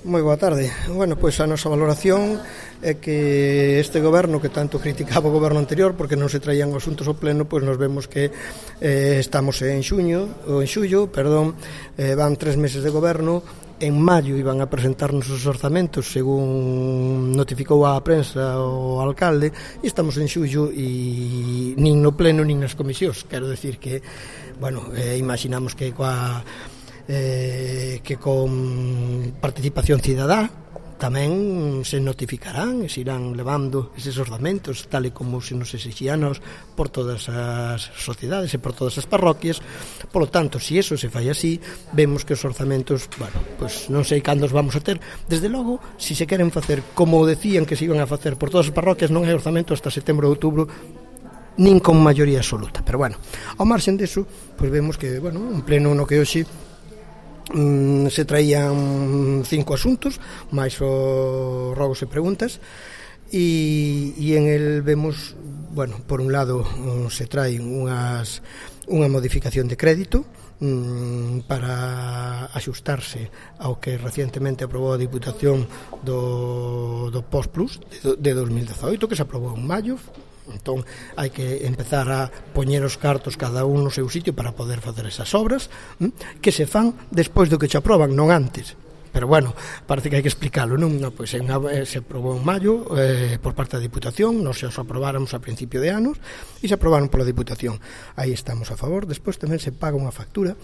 Moi boa tarde. Bueno, pois a nosa valoración é que este goberno que tanto criticaba o goberno anterior porque non se traían asuntos ao pleno, pois nos vemos que estamos en xullo, van 3 meses de goberno. En maio iban a presentarnos os orzamentos según notificou a prensa o alcalde, e estamos en xullo e nin no pleno nin nas comisións. Quero decir que, bueno, imaginamos que con participación cidadá tamén se notificarán e se irán levando eses orzamentos tal e como se nos exixianos por todas as sociedades e por todas as parroquias. Por lo tanto, se eso se fai así, vemos que os orzamentos, bueno, pues non sei cando os vamos a ter. Desde logo, se se queren facer como decían que se iban a facer por todas as parroquias, non hai orzamento hasta setembro ou outubro, nin con maioría absoluta. Pero bueno, ao marxen deso, pues vemos que, bueno, un pleno no que hoxe se traían 5 asuntos máis os rogos e preguntas, e en el vemos, bueno, por un lado se traen unha modificación de crédito para axustarse ao que recientemente aprobou a Diputación do Postplus de 2018, que se aprobou en maio. Entón, hai que empezar a poñer os cartos cada un no seu sitio para poder facer esas obras que se fan despois do que se aproban, non antes. Pero bueno, parece que hai que explicarlo, non? Pois se aprobou en maio por parte da Diputación, nos os aprobáramos a principio de anos e se aprobaron pola Diputación. Aí estamos a favor. Despois tamén se paga unha factura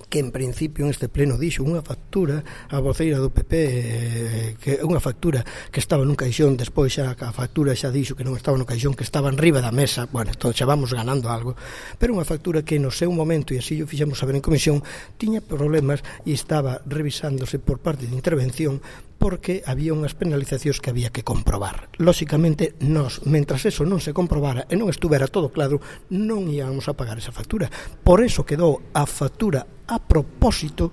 que en principio en este pleno dixo unha factura a voceira do PP, que é unha factura que estaba nun caixón, despois xa a factura xa dixo que non estaba no caixón, que estaba enriba da mesa. Bueno, entón xa vamos ganando algo, pero unha factura que no seu momento, e así o fixemos saber en comisión, tiña problemas e estaba revisándose por parte de intervención porque había unhas penalizacións que había que comprobar. Lóxicamente, nós, mentras eso non se comprobara e non estuvera todo claro, non íamos a pagar esa factura. Por eso quedou a factura a propósito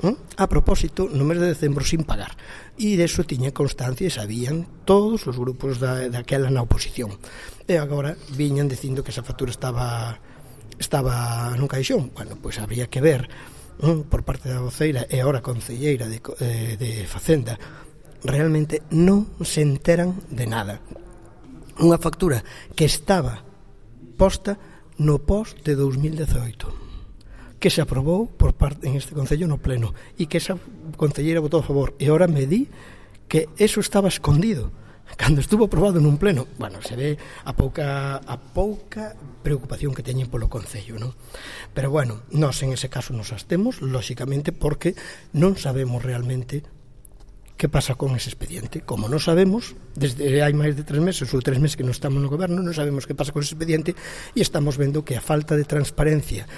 no mes de decembro sin pagar. E deso tiña constancia e sabían todos os grupos daquela na oposición. E agora viñan dicindo que esa factura estaba nun caixón. Bueno, pois habría que ver por parte da voceira e agora concelleira de Facenda, realmente non se enteran de nada. Unha factura que estaba posta no pos de 2018, que se aprobou por parte en este concello no pleno, e que esa concelleira votou a favor, e agora me di que eso estaba escondido cando estuvo aprobado nun pleno. Bueno, se ve a pouca preocupación que teñen polo concello, non? Pero bueno, nós en ese caso nos abstemos, lóxicamente, porque non sabemos realmente que pasa con ese expediente. Como non sabemos, desde hai máis de 3 meses ou 3 meses que non estamos no goberno, non sabemos que pasa con ese expediente, e estamos vendo que a falta de transparencia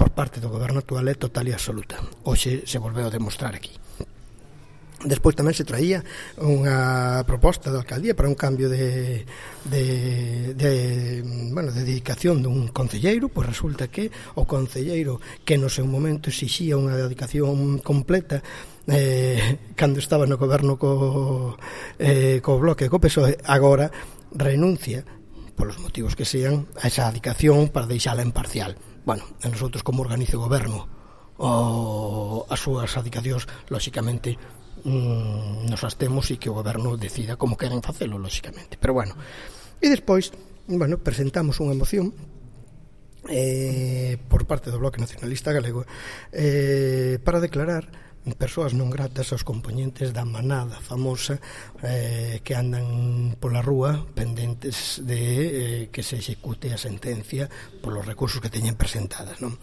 por parte do goberno actual é total e absoluta. Hoxe se volveu a demostrar aquí. Despois tamén se traía unha proposta da alcaldía para un cambio de dedicación dun concelleiro. Pois resulta que o concelleiro que no seu momento exixía unha dedicación completa cando estaba no goberno co Bloque e co PSOE, agora renuncia polos motivos que sean a esa dedicación para deixala imparcial. Bueno, e nosotros como organizo o goberno as súas dedicacións, lóxicamente nos abstemos e que o goberno decida como queren facelo, lóxicamente. Pero bueno, e despois, bueno, presentamos unha moción por parte do Bloque Nacionalista Galego para declarar persoas non gratas aos compoñentes da manada famosa que andan pola rúa pendentes de que se execute a sentencia polos recursos que teñen presentadas, non?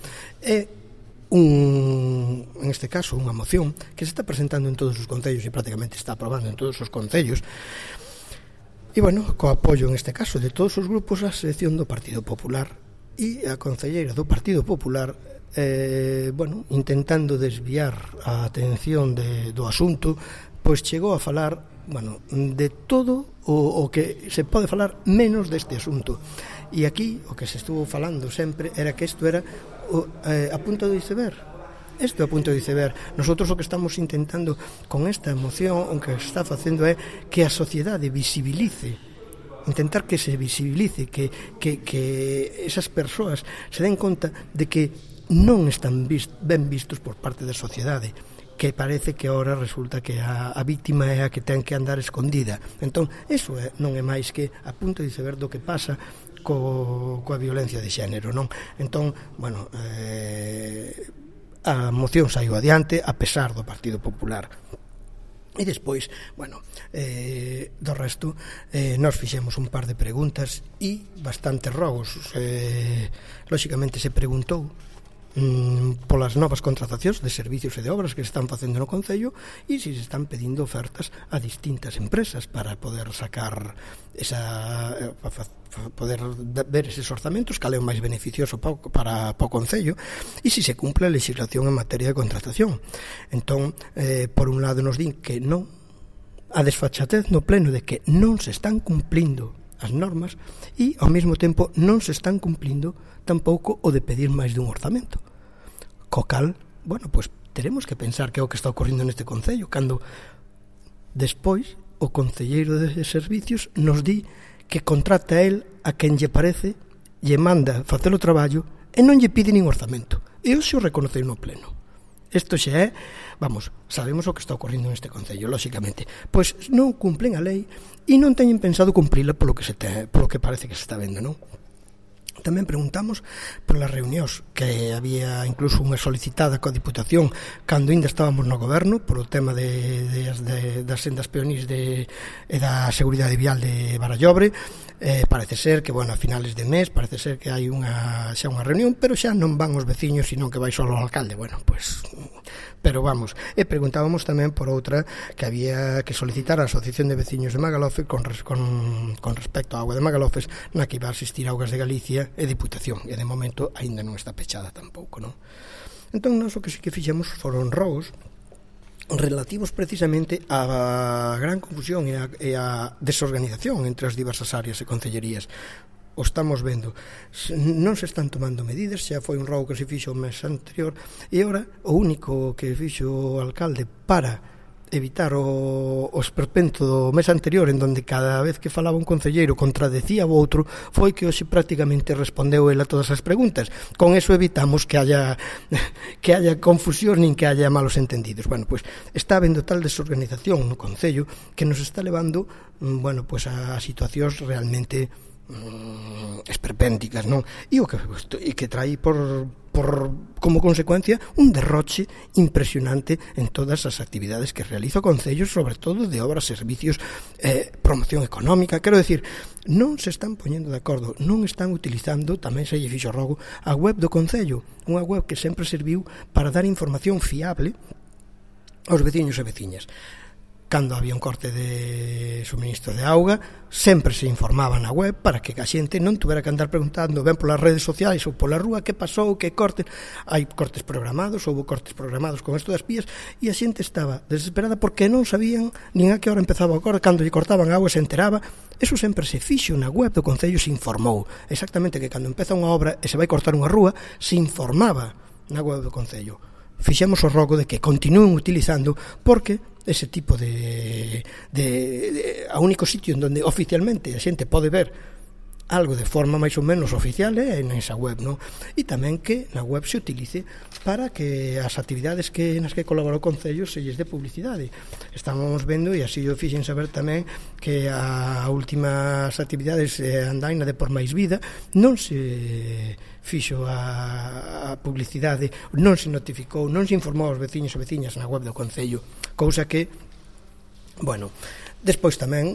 En este caso unha moción que se está presentando en todos os concellos e prácticamente está aprobando en todos os concellos, e bueno, co apoio en este caso de todos os grupos, a selección do Partido Popular, e a concelleira do Partido Popular intentando desviar a atención do asunto, pois chegou a falar, bueno, de todo o que se pode falar menos deste asunto. E aquí o que se estuvo falando sempre era que isto era a punta do iceberg. Isto é a punta do iceberg. Nosotros o que estamos intentando con esta moción, o que está facendo é que a sociedade visibilice, intentar que se visibilice, que esas persoas se den conta de que non están ben vistos por parte da sociedade, que parece que ahora resulta que a víctima é a que ten que andar escondida. Entón, iso non é máis que a punto de saber do que pasa coa violencia de xénero, non? Entón, bueno, a moción saiu adiante a pesar do Partido Popular. E despois, bueno, do resto, nós fixemos un par de preguntas e bastantes rogos. Lóxicamente se preguntou polas novas contratacións de servicios e de obras que se están facendo no Concello e se están pedindo ofertas a distintas empresas para poder sacar poder ver eses orzamentos, cal é o máis beneficioso para o Concello e se cumpre a legislación en materia de contratación. Entón, por un lado nos din que non, a desfachatez no pleno de que non se están cumplindo as normas e ao mesmo tempo non se están cumplindo tampouco o de pedir máis dun orzamento. Co cal, bueno, pois teremos que pensar que é o que está ocorrendo neste Concello, cando despois o concelleiro de servicios nos di que contrata a él a quen lle parece, lle manda facer o traballo e non lle pide nin orzamento. E hoxe o reconoceu no pleno. Isto xa é, vamos, sabemos o que está ocorrendo neste Concello, lóxicamente. Pois non cumplen a lei e non teñen pensado cumprila polo que parece que se está vendo, non? Tamén preguntamos polas reunións que había incluso unha solicitada coa Diputación cando ainda estábamos no goberno por o tema das sendas peonís e da seguridade vial de Barallobre. Parece ser que, bueno, a finales de mes parece ser que hai xa unha reunión, pero xa non van os veciños, sino que vai só o alcalde. Bueno, pois, pero vamos. E preguntábamos tamén por outra que había que solicitar a Asociación de Veciños de Magalófez con respecto á auga de Magalófez, na que iba a asistir Augas de Galicia e Diputación, e de momento aínda non está pechada tampouco, non? Entón, nós o que sí que fixemos foron rogos relativos precisamente á gran confusión e á desorganización entre as diversas áreas e concellerías. O estamos vendo, non se están tomando medidas, xa foi un rogo que se fixo o mes anterior e ora o único que fixo o alcalde para evitar o esperpento do mes anterior, en donde cada vez que falaba un concelleiro contradecía o outro, foi que hoxe prácticamente respondeu ele a todas as preguntas. Con eso evitamos que haya confusión nin que haya malos entendidos. Bueno, pois está habendo tal desorganización no Concello que nos está levando, bueno, pois a situacións realmente esperpénticas, non? E o que trae como consecuencia un derroche impresionante en todas as actividades que realiza o Concello, sobre todo de obras, servicios, promoción económica. Quero decir, non se están poñendo de acordo, non están utilizando, tamén se lle fixo rogo, a web do Concello, unha web que sempre serviu para dar información fiable aos veciños e veciñas. Cando había un corte de suministro de auga, sempre se informaba na web para que a xente non tuvera que andar preguntando ben polas redes sociais ou pola rúa que pasou, que corte. Hai cortes programados, houve cortes programados con isto das pías e a xente estaba desesperada porque non sabían nin a que hora empezaba o corte, cando lle cortaban a auga se enteraba. Eso sempre se fixo na web do Concello, se informou exactamente que cando empeza unha obra e se vai cortar unha rúa, se informaba na web do Concello. Fixemos o rogo de que continúen utilizando, porque ese tipo a único sitio en donde oficialmente a xente pode ver algo de forma máis ou menos oficial é nesa web, non? E tamén que na web se utilice para que as actividades nas que colabora o Concello se lles dé publicidade. Estamos vendo, e así o fixen saber tamén, que a últimas actividades andaina de Por Máis Vida non se fixo a publicidade, non se notificou, non se informou aos veciños e veciñas na web do Concello, cousa que, bueno, despois tamén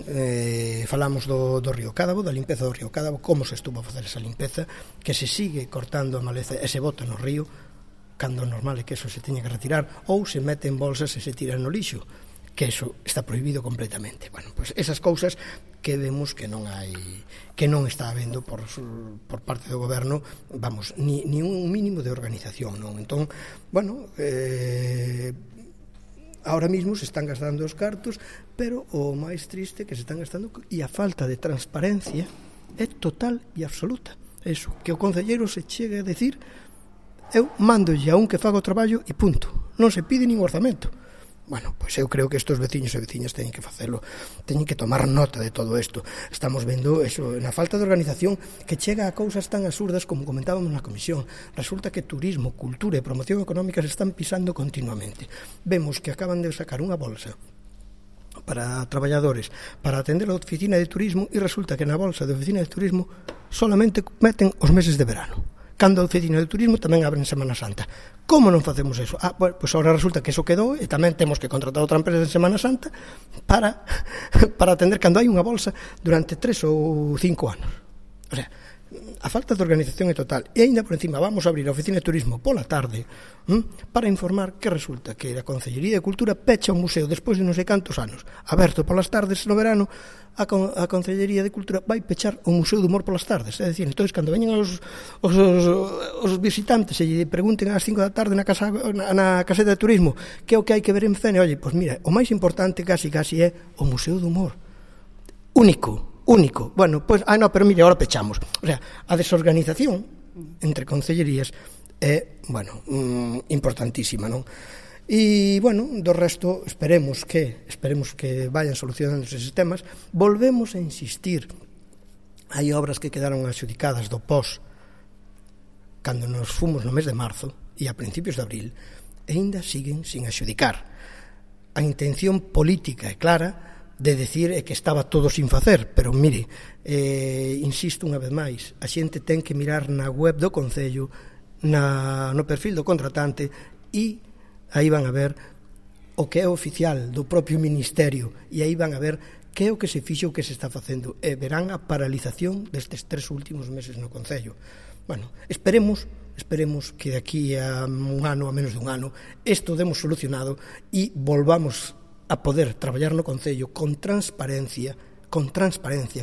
falamos do Río Cádabo, da limpeza do Río Cádabo, como se estuvo a facer esa limpeza, que se sigue cortando a maleza e se bota no río, cando normal é que eso se teña que retirar, ou se mete en bolsas e se tira no lixo, que eso está prohibido completamente. Bueno, pois esas cousas que vemos que non está habendo por parte do goberno, vamos, ni un mínimo de organización, non? Entón, bueno, ahora mismo se están gastando os cartos, pero o máis triste que se están gastando, e a falta de transparencia é total e absoluta. Eso, que o concelleiro se chegue a decir: eu mándolle a un que faga o traballo e punto, non se pide nin orzamento. Bueno, pois eu creo que estes veciños e veciñas teñen que facelo, teñen que tomar nota de todo isto. Estamos vendo eso, na falta de organización que chega a cousas tan absurdas como comentábamos na comisión. Resulta que turismo, cultura e promoción económica se están pisando continuamente. Vemos que acaban de sacar unha bolsa para traballadores, para atender a oficina de turismo, e resulta que na bolsa de oficina de turismo solamente meten os meses de verano, cando a oficina de turismo tamén abre en Semana Santa. Como non facemos eso? Bueno, pois agora resulta que eso quedou e tamén temos que contratar outra empresa en Semana Santa para atender cando hai unha bolsa durante 3 ou 5 anos. O sea, a falta de organización é total. E ainda por encima vamos a abrir a oficina de turismo pola tarde para informar que resulta que a Concellería de Cultura pecha un museo despois de non sei cantos anos. Aberto polas tardes no verano, a Concellería de Cultura vai pechar o Museo do Humor polas tardes. É dicir, entón, cando veñen os visitantes e lle pregunten ás 5 da tarde na caseta de turismo que é o que hai que ver en Fene, oye, pois mira, o máis importante casi é o Museo do Humor. Único. Bueno, pois, pero mire, agora pechamos. O sea, a desorganización entre concellerías é, bueno, importantísima, non? E, bueno, do resto esperemos que vayan solucionando eses temas. Volvemos a insistir. Hai obras que quedaron adxudicadas do pós cando nos fomos no mes de marzo e a principios de abril e ainda siguen sin adxudicar. A intención política é clara de decir que estaba todo sin facer, pero mire, insisto unha vez máis, a xente ten que mirar na web do Concello, no perfil do contratante, e aí van a ver o que é oficial do propio Ministerio, e aí van a ver que é o que se fixo, o que se está facendo, e verán a paralización destes 3 últimos meses no Concello. Bueno, esperemos que de aquí a un ano, a menos de un ano, isto demos solucionado e volvamos a poder traballar no Concello con transparencia,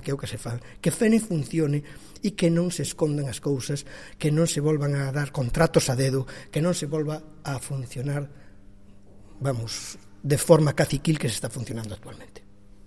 que é o que se fan, que Fene funcione e que non se escondan as cousas, que non se volvan a dar contratos a dedo, que non se volva a funcionar, vamos, de forma caciquil que se está funcionando actualmente.